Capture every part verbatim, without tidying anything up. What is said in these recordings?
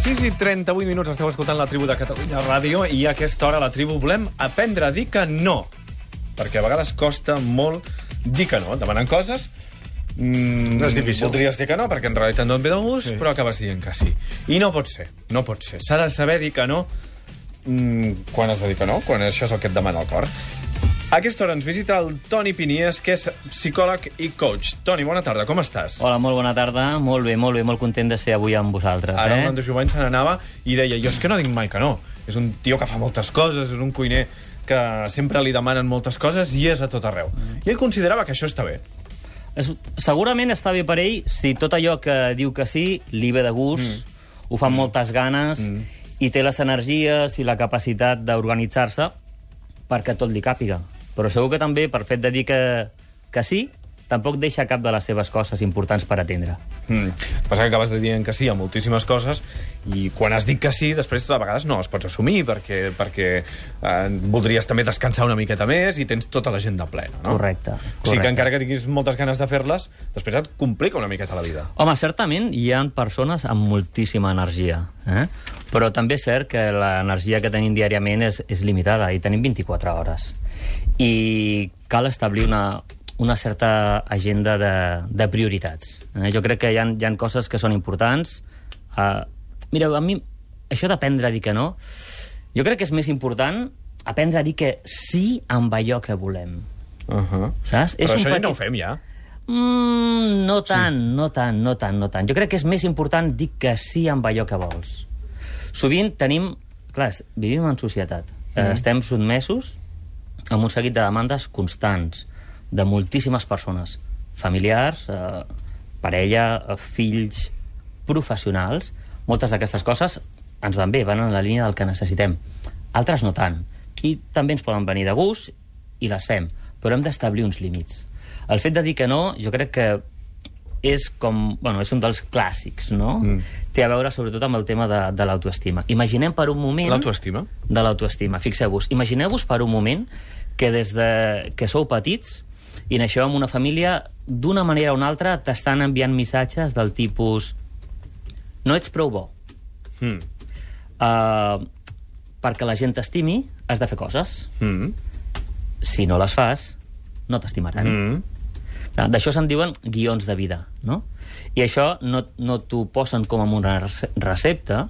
sis i trenta-vuit minuts esteu escoltant la tribu de Catalunya Ràdio i a aquesta hora la tribu volem aprendre a dir que no. Perquè a vegades costa molt dir que no. Demanant coses... Mm, no és difícil. Voldries dir que no, perquè en realitat no et ve de gust, sí. Però acabes dient que sí. I no pot ser, no pot ser. S'ha de saber dir que no mm, quan has de dir que no, quan això és el que et demana el cor. A aquesta hora ens visita el Toni Pinies, que és psicòleg i coach. Toni, bona tarda, com estàs? Hola, molt bona tarda. Molt bé, molt bé, molt content de ser avui amb vosaltres. Ara eh? el Nando Jovany se n'anava i deia, jo és que no dic mai que no. És un tio que fa moltes coses, és un cuiner que sempre li demanen moltes coses i és a tot arreu. Mm. I ell considerava que això està bé. Es, segurament està bé per ell si tot allò que diu que sí li ve de gust, mm. ho fa amb mm. moltes ganes mm. i té les energies i la capacitat d'organitzar-se perquè tot li càpiga. Però segur que també, per fet de dir que, que sí, tampoc deixa cap de les seves coses importants per atendre. Mm. Passa que acabes de dir que sí a moltíssimes coses i quan has dit que sí, després a vegades no les pots assumir perquè, perquè eh, voldries també descansar una miqueta més i tens tota l'agenda plena, no? Correcte, correcte. O sigui que encara que tinguis moltes ganes de fer-les, després et complica una miqueta la vida. Home, certament hi ha persones amb moltíssima energia, eh? Però també és cert que l'energia que tenim diàriament és, és limitada i tenim vint-i-quatre hores. I cal establir una, una certa agenda de, de prioritats. Eh? Jo crec que hi ha, hi ha coses que són importants. Uh, mira, a mi, això d'aprendre a dir que no, jo crec que és més important aprendre a dir que sí amb allò que volem. Uh-huh. Saps? Però és això un ja no ho fem, ja. Mm, no tant, sí. no tant, no tant, no tant. Jo crec que és més important dir que sí amb allò que vols. Sovint tenim... Clar, vivim en societat. Mm. Eh, estem sotmesos amb un seguit de demandes constants de moltíssimes persones, familiars, eh, parella, eh, fills, professionals. Moltes d'aquestes coses ens van bé, van en la línia del que necessitem. Altres no tant. I també ens poden venir de gust i les fem, però hem d'establir uns límits. El fet de dir que no, jo crec que és com... Bueno, és un dels clàssics, no? Mm. Té a veure sobretot amb el tema de, de l'autoestima. Imaginem per un moment... L'autoestima? De l'autoestima. Fixeu-vos, imagineu-vos per un moment que des de que sou petits i naixeu en una família, d'una manera o una altra t'estan enviant missatges del tipus no ets prou bo. Mm. Uh, perquè la gent t'estimi has de fer coses. Mm. Si no les fas, no t'estimaran. Mm. D'això se'n diuen guions de vida, no? I això no, no t'ho posen com una recepta,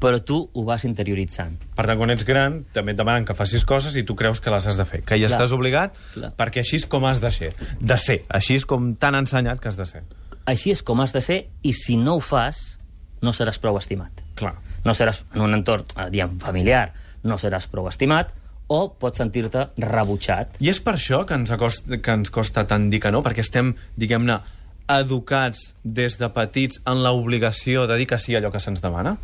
però tu ho vas interioritzant. Per tant, quan ets gran, també et demanen que facis coses i tu creus que les has de fer, que hi clar, estàs obligat, clar, perquè així és com has de ser. De ser. Així és com t'han ensenyat que has de ser. Així és com has de ser, i si no ho fas, no seràs prou estimat. Clar. No seràs, en un entorn, diguem, familiar, no seràs prou estimat, o pots sentir-te rebutjat. I és per això que ens, acosta, que ens costa tant dir que no? Perquè estem, diguem-ne, educats des de petits en l'obligació de dir que sí a allò que se'ns demana?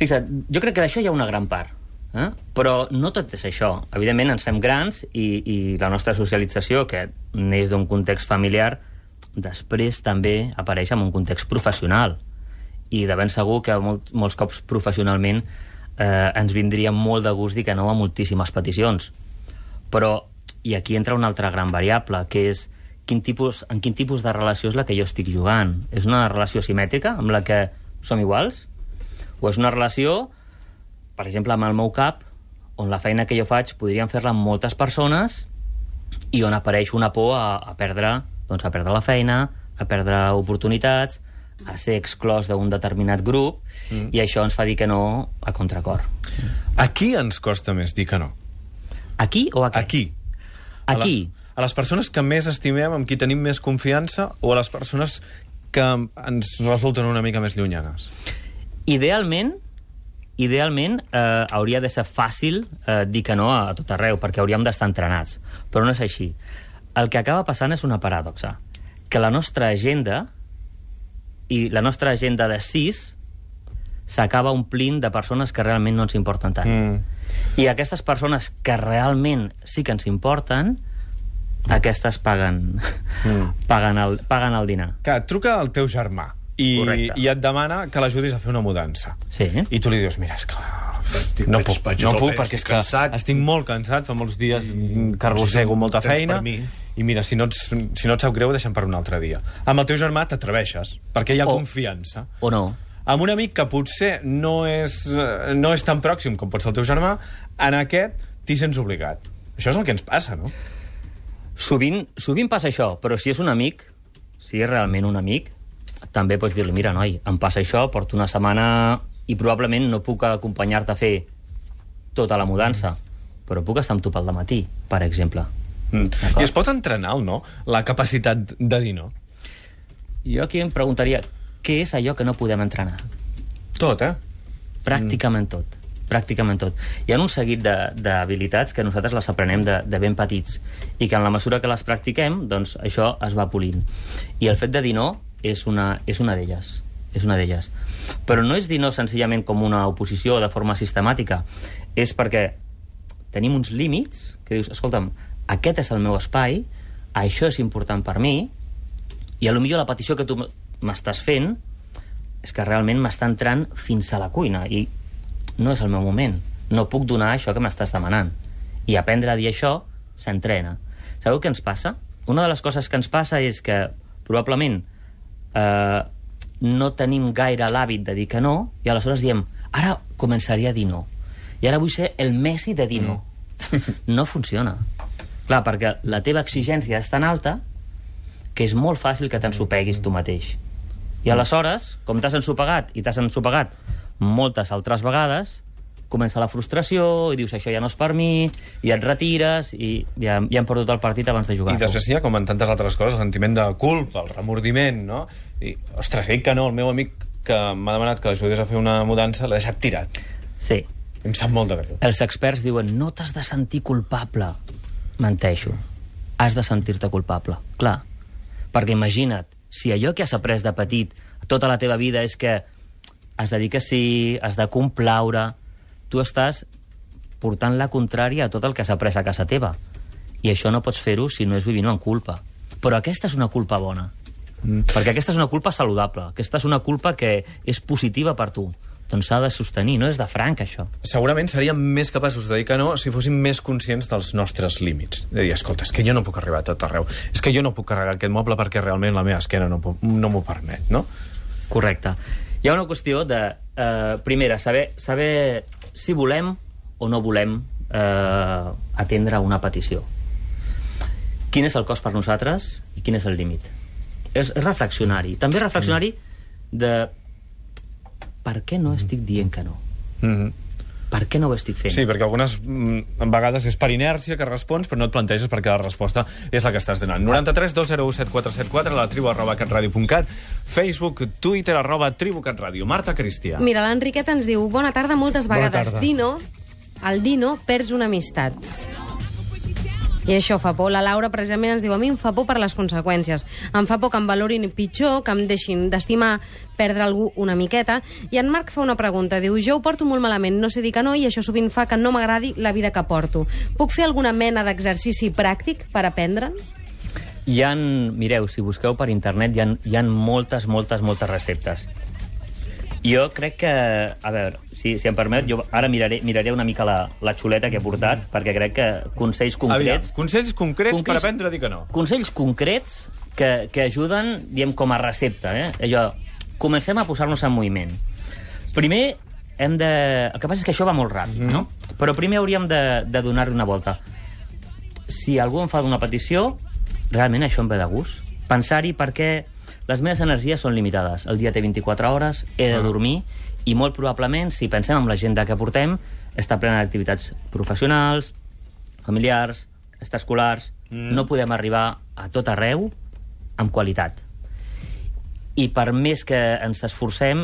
Fixa't, jo crec que d'això hi ha una gran part. Eh? Però no tot és això. Evidentment ens fem grans i, i la nostra socialització, que neix d'un context familiar, després també apareix en un context professional. I de ben segur que molt, molts cops professionalment eh, ens vindria molt de gust dir que no a moltíssimes peticions. Però, i aquí entra una altra gran variable, que és quin tipus, en quin tipus de relació és la que jo estic jugant. És una relació simètrica, amb la que som iguals? O és una relació, per exemple, amb el meu cap, on la feina que jo faig podrien fer-la amb moltes persones i on apareix una por a, a, perdre, doncs a perdre la feina, a perdre oportunitats, a ser exclòs d'un determinat grup, mm. i això ens fa dir que no a contracor. A qui ens costa més dir que no? Aquí o a què? Aquí. Aquí. A, la, a les persones que més estimem, amb qui tenim més confiança, o a les persones que ens resulten una mica més llunyanes? Idealment, idealment eh, hauria de ser fàcil eh, dir que no a, a tot arreu, perquè hauríem d'estar entrenats. Però no és així. El que acaba passant és una paradoxa. Que la nostra agenda i la nostra agenda de sis s'acaba omplint de persones que realment no ens importen tant. Mm. I aquestes persones que realment sí que ens importen, aquestes paguen, mm. paguen, el, paguen el dinar. Que et truca el teu germà i, i et demana que l'ajudis a fer una mudança. Sí. I tu li dius, mira, és que no puc, no puc perquè és que estic molt cansat, fa molts dies que arrossego molta feina i mira, si no, ets, si no et sap greu, deixem per un altre dia. Amb el teu germà t'atreveixes, perquè hi ha o, confiança. O no. amb un amic que potser no és, no és tan pròxim com pot ser el teu germà, en aquest t'hi sents obligat. Això és el que ens passa, no? Sovint, sovint passa això, però si és un amic, si és realment un amic, també pots dir-li, mira, noi, em passa això, porto una setmana i probablement no puc acompanyar-te a fer tota la mudança, però puc estar amb tu pel dematí, per exemple. Mm. I es pot entrenar o no, la capacitat de dir no? Jo aquí em preguntaria, què és allò que no podem entrenar? Tot, eh? Pràcticament mm. tot. Pràcticament tot. Hi ha un seguit d'habilitats que nosaltres les aprenem de, de ben petits i que en la mesura que les practiquem, doncs això es va polint. I el fet de dir no és una, és una d'elles. És una d'elles. Però no és dir no senzillament com una oposició de forma sistemàtica. És perquè tenim uns límits que dius, escolta'm, aquest és el meu espai, això és important per mi, i a lo millor la petició que tu m'estàs fent és que realment m'està entrant fins a la cuina i no és el meu moment. No puc donar això que m'estàs demanant. I aprendre a dir això s'entrena. Sabeu què ens passa? Una de les coses que ens passa és que probablement eh, no tenim gaire l'hàbit de dir que no i aleshores diem, ara començaria a dir no. I ara vull ser el Messi de dir no. No funciona. Clar, perquè la teva exigència és tan alta que és molt fàcil que t'ensopeguis tu mateix. I aleshores, com t'has ensopegat i t'has ensopegat moltes altres vegades, comença la frustració i dius, això ja no és per mi, i et retires i ja, ja hem perdut el partit abans de jugar. I després hi ha, com en tantes altres coses, el sentiment de culpa, el remordiment, no? I, ostres, he dit que no, el meu amic que m'ha demanat que l'ajudés a fer una mudança l'ha deixat tirat. Sí. Em sap molt de greu. Els experts diuen, no t'has de sentir culpable. Menteixo. Has de sentir-te culpable. Clar. Perquè imagina't, si allò que has après de petit tota la teva vida és que has de dir que sí, has de complaure, tu estàs portant la contrària a tot el que has après a casa teva. I això no pots fer-ho si no és vivint en culpa. Però aquesta és una culpa bona. Mm. Perquè aquesta és una culpa saludable. Aquesta és una culpa que és positiva per tu. Doncs s'ha de sostenir, no és de franc, això. Segurament seríem més capaços de dir que no si fóssim més conscients dels nostres límits. De dir, escolta, és que jo no puc arribar a tot arreu. És que jo no puc carregar aquest moble perquè realment la meva esquena no, no m'ho permet, no? Correcte. Hi ha una qüestió de, eh, primera, saber, saber si volem o no volem eh, atendre una petició. Quin és el cost per nosaltres i quin és el límit? És, és reflexionar-hi. També reflexionar-hi de per què no estic dient que no? Mm-hmm. Per què no ho estic fent? Sí, perquè algunes mm, vegades és per inèrcia que respons, però no et planteges perquè la resposta és la que estàs donant. noranta-tres dos zero u set quatre set quatre, la tribu arroba catradio punt cat, Facebook, Twitter, arroba tribu catradio. Marta Cristià. Mira, l'Enriqueta ens diu, bona tarda, moltes vegades Dino, el Dino perds una amistat. I això fa por. La Laura precisament ens diu, a mi em fa por per les conseqüències. Em fa por que em valorin pitjor, que em deixin d'estimar, perdre algú una miqueta. I en Marc fa una pregunta. Diu, jo ho porto molt malament, no sé dir que no, i això sovint fa que no m'agradi la vida que porto. Puc fer alguna mena d'exercici pràctic per aprendre'n? Hi ha, mireu, si busqueu per internet, hi ha, hi ha moltes, moltes, moltes receptes. Jo crec que, a veure, si, si em permet, jo ara miraré, miraré una mica la, la xuleta que he portat, perquè crec que consells concrets... Aviam, consells concrets consells, per aprendre a dir que no. Consells concrets que, que ajuden, diem, com a recepta, eh? Allò, comencem a posar-nos en moviment. Primer, hem de... El que passa és que això va molt ràpid, mm. no? Però primer hauríem de, de donar-hi una volta. Si algú em fa una petició, realment això em ve de gust. Pensar-hi perquè les meves energies són limitades. El dia té vint-i-quatre hores, he de dormir, i molt probablement, si pensem en l'agenda que portem, està plena d'activitats professionals, familiars, extraescolars, mm. no podem arribar a tot arreu amb qualitat. I per més que ens esforcem,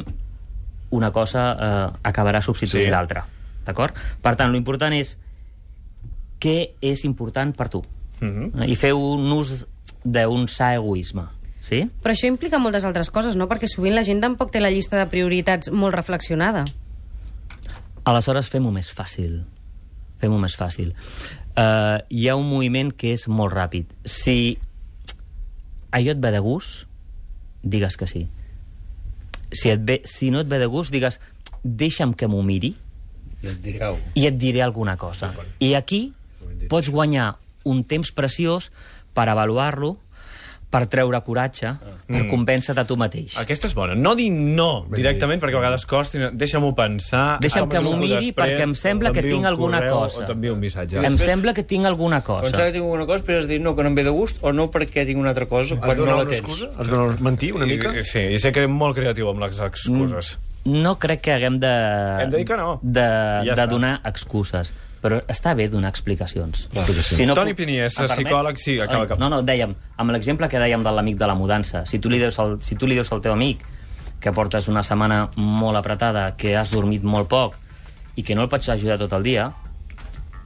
una cosa eh, acabarà substituint sí. l'altra. D'acord? Per tant, l'important és què és important per tu. Mm-hmm. I feu un ús d'un sa egoisme. Sí? Però això implica moltes altres coses, no? Perquè sovint la gent tampoc té la llista de prioritats molt reflexionada. Aleshores, fem-ho més fàcil. Fem-ho més fàcil. Uh, hi ha un moviment que és molt ràpid. Si allò et ve de gust, digues que sí. Si, et ve, si no et ve de gust, digues, deixa'm que m'ho miri i et diré, i et diré alguna cosa. I aquí pots guanyar un temps preciós per avaluar-lo, per treure coratge, per Mm. convèncer-te a tu mateix. Aquesta és bona. No dir no directament, perquè a vegades costa. Deixa'm-ho pensar. Deixa'm que m'ho miri, perquè em sembla que tinc alguna cosa. O t'envio un missatge. Em sembla que tinc alguna Pensava cosa. que tinc alguna cosa, però has dit no, que no em ve de gust, o no perquè tinc una altra cosa, Has quan no donat la una tens. excusa? Has donat mentir una mica? I- Sí, i sé que eres molt creatiu amb les excuses. No crec que haguem de... Hem de dir que no. De, Ja de està. donar excuses. Però està bé donar explicacions. Si no Toni puc- Piniés, em permets? psicòleg, sí, acaba, acaba. No, no, dèiem, amb l'exemple que dèiem de l'amic de la mudança, si tu, li dius al, si tu li dius al teu amic que portes una setmana molt apretada, que has dormit molt poc i que no el pots ajudar tot el dia,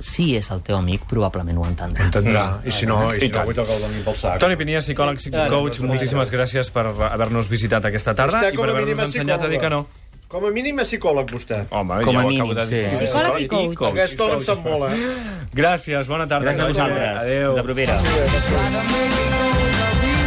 si és el teu amic, probablement ho entendrà. Entendrà. I si no, i si I no tant. vull tocar el doni pel sac. Toni Piniés, psicòleg, psicocoach, moltíssimes gràcies per haver-nos visitat aquesta tarda Vostè i com per a mínim haver-nos és ensenyat a dir que no. Com a mínim és psicòleg, vostè. Home, Com ja a ho mínim, acabo de dir. sí. Psicòleg i coach. Aquesta hora en sap molt, eh? Gràcies, bona tarda. Gràcies a vosaltres. Adéu. Fins a propera. Try to make me go the real